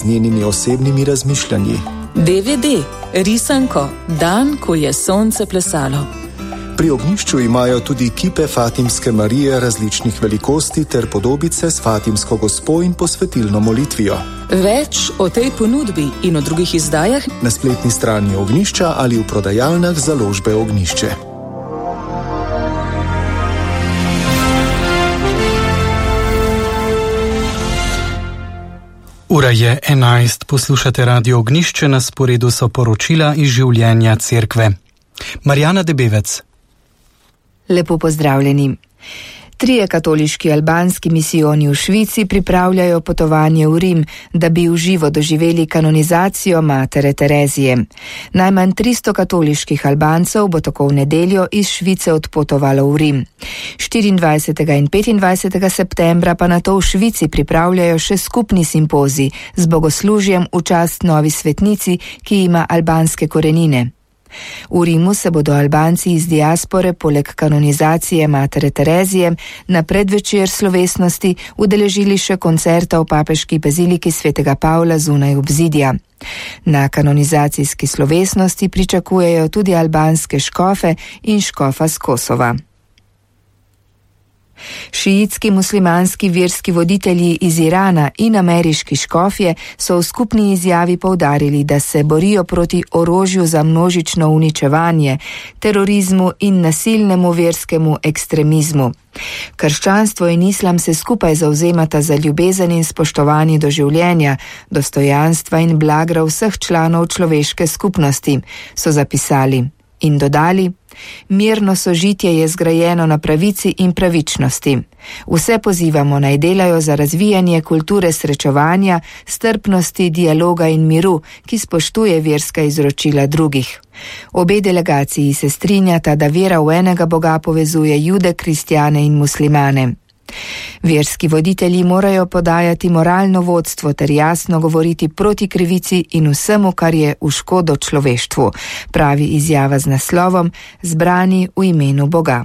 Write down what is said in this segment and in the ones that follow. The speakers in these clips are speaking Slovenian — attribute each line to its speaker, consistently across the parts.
Speaker 1: z njenimi osebnimi razmišljanji.
Speaker 2: DVD, risanko, dan, ko je sonce plesalo.
Speaker 1: Pri ognjišču imajo tudi kipe Fatimske Marije različnih velikosti ter podobice s Fatimsko gospo in posvetilno molitvijo.
Speaker 2: Več o tej ponudbi in o drugih izdajah
Speaker 1: na spletni strani Ognjišča ali v prodajalnah založbe Ognjišče.
Speaker 3: Ura je 11, poslušate Radio Ognjišče, na sporedu so poročila iz življenja cerkve. Marjana Debevec.
Speaker 4: Lepo pozdravljeni. 3 katoliški albanski misijoni v Švici pripravljajo potovanje v Rim, da bi v živo doživeli kanonizacijo matere Terezije. Najmanj 300 katoliških Albancev bo tako v nedeljo iz Švice odpotovalo v Rim. 24. in 25. septembra pa nato v Švici pripravljajo še skupni simpozij z bogoslužjem v čast novi svetnici, ki ima albanske korenine. V Rimu se bodo Albanci iz diaspore poleg kanonizacije matere Terezije na predvečer slovesnosti udeležili še koncerta v papeški baziliki svetega Pavla zunaj obzidja. Na kanonizacijski slovesnosti pričakujejo tudi albanske škofe in škofa z Kosova. Šiitski muslimanski verski voditelji iz Irana in ameriški škofje so v skupni izjavi poudarili, da se borijo proti orožju za množično uničevanje, terorizmu in nasilnemu verskemu ekstremizmu. Krščanstvo in islam se skupaj zavzemata za ljubezen in spoštovanje do življenja, dostojanstva in blagra vseh članov človeške skupnosti, so zapisali. In dodali, mirno sožitje je zgrajeno na pravici in pravičnosti. Vse pozivamo naj delajo za razvijanje kulture srečevanja, strpnosti, dialoga in miru, ki spoštuje verska izročila drugih. Obe delegaciji se strinjata, da vera v enega Boga povezuje Jude, kristjane in muslimane. Verski voditelji morajo podajati moralno vodstvo ter jasno govoriti proti krivici in vsemu, kar je v škodo človeštvu, pravi izjava z naslovom Zbrani v imenu Boga.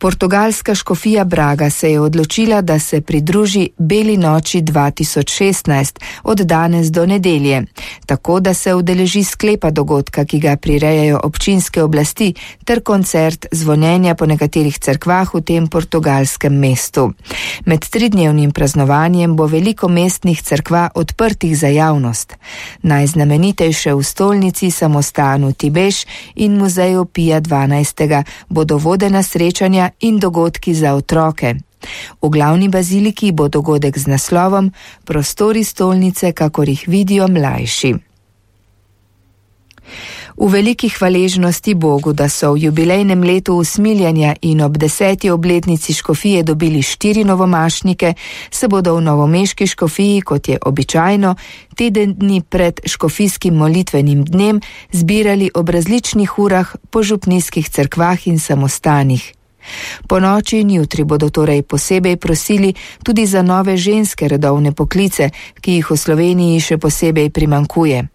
Speaker 4: Portugalska škofija Braga se je odločila, da se pridruži Beli noči 2016 od danes do nedelje, tako da se udeleži sklepa dogodka, ki ga prirejajo občinske oblasti, ter koncert zvonjenja po nekaterih cerkvah v tem portugalskem mestu. Med 3-dnevnim praznovanjem bo veliko mestnih cerkva odprtih za javnost. Najznamenitejše v stolnici, samostanu Tibeš in muzeju Pija XII bodo vodena srečanja in dogodki za otroke. V glavni baziliki bo dogodek z naslovom Prostori stolnice, kakor jih vidijo mlajši. V veliki hvaležnosti Bogu, da so v jubilejnem letu usmiljenja in ob 10. obletnici škofije dobili 4 novomašnike, se bodo v novomeški škofiji, kot je običajno, teden dni pred škofijskim molitvenim dnem zbirali ob različnih urah po župnijskih cerkvah in samostanih. Po noči in jutri bodo torej posebej prosili tudi za nove ženske redovne poklice, ki jih v Sloveniji še posebej primanjkuje.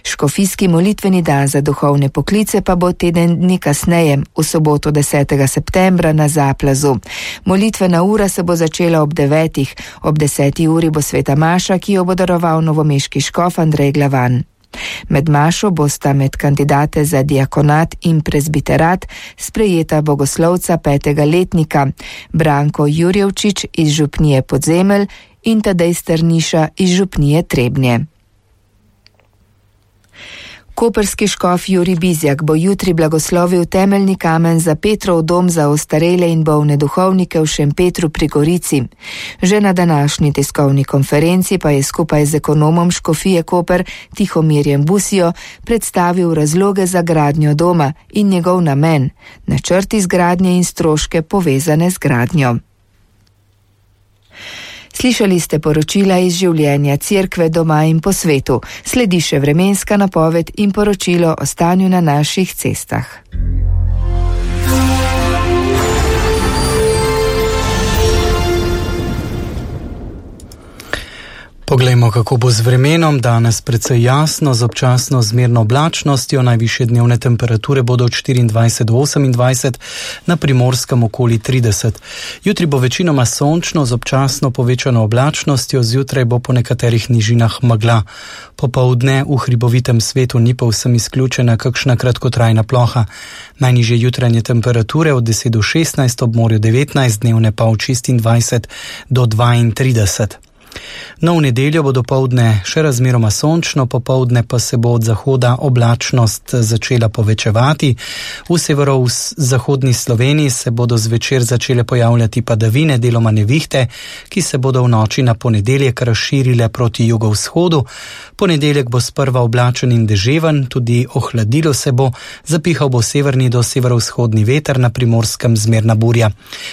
Speaker 4: Škofijski molitveni dan za duhovne poklice pa bo teden dni kasneje, v soboto 10. septembra na Zaplazu. Molitvena ura se bo začela ob 9. Ob 10. uri bo sveta maša, ki jo bo daroval novomeški škof Andrej Glavan. Med mašo bosta med kandidate za diakonat in prezbiterat sprejeta bogoslovca 5. letnika Branko Jurjevčič iz župnije Podzemelj in Tadej Strniša iz župnije Trebnje. Koprski škof Jurij Bizjak bo jutri blagoslovil temeljni kamen za Petrov dom za ostarele in bolne duhovnike v Šempetru pri Gorici. Že na današnji tiskovni konferenci pa je skupaj z ekonomom škofije Koper Tihomirjem Busijo predstavil razloge za gradnjo doma in njegov namen, načrt izgradnje in stroške povezane z gradnjo. Slišali ste poročila iz življenja cerkve doma in po svetu. Sledi še vremenska napoved in poročilo o stanju na naših cestah.
Speaker 3: Poglejmo, kako bo z vremenom. Danes precej jasno, z občasno zmerno oblačnostjo. Najvišje dnevne temperature bodo od 24 do 28, na Primorskem okoli 30. Jutri bo večinoma sončno, z občasno povečano oblačnostjo, zjutraj bo po nekaterih nižinah megla. Popoldne v hribovitem svetu ni povsem izključena kakšna kratkotrajna ploha. Najnižje jutranje temperature od 10 do 16, ob morju 19, dnevne pa od 26 do 32. No, v nedeljo bo dopoldne še razmeroma sončno, popoldne pa se bo od zahoda oblačnost začela povečevati. V severozahodni Sloveniji se bodo zvečer začele pojavljati padavine, deloma nevihte, ki se bodo v noči na ponedeljek razširile proti jugovzhodu. Ponedeljek bo sprva oblačen in deževen, tudi ohladilo se bo, zapihal bo severni do severovzhodni veter, na Primorskem zmerna burja.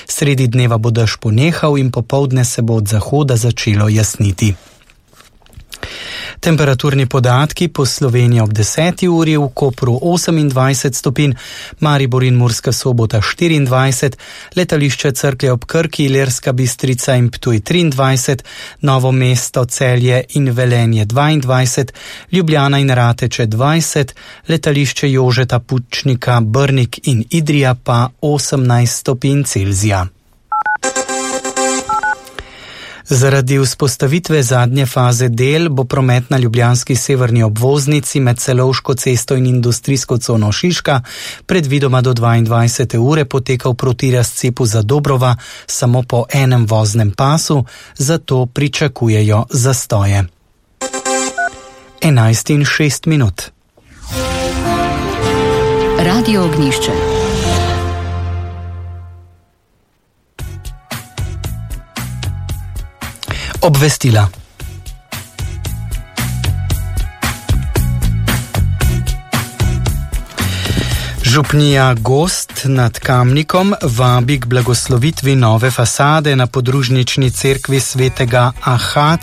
Speaker 3: Sredi dneva bo dež ponehal in popoldne se bo od zahoda začelo jasniti. Temperaturni podatki po Sloveniji ob 10. uri: v Kopru 28 stopinj, Maribor in Murska Sobota 24, letališče Cerklje ob Krki, Ilirska Bistrica in Ptuj 23, Novo mesto, Celje in Velenje 22, Ljubljana in Rateče 20, letališče Jožeta Pučnika, Brnik in Idrija pa 18 stopinj Celzija. Zaradi vzpostavitve zadnje faze del bo promet na ljubljanski severni obvoznici med Celovško cesto in industrijsko cono Šiška predvidoma do 22. ure potekal proti razcepu Zadobrova samo po enem voznem pasu, zato pričakujejo zastoje. 11:06.
Speaker 2: Radio Ognjišče.
Speaker 3: Obvestila. Župnija Gozd nad Kamnikom vabi k blagoslovitvi nove fasade na podružnični cerkvi svetega Aha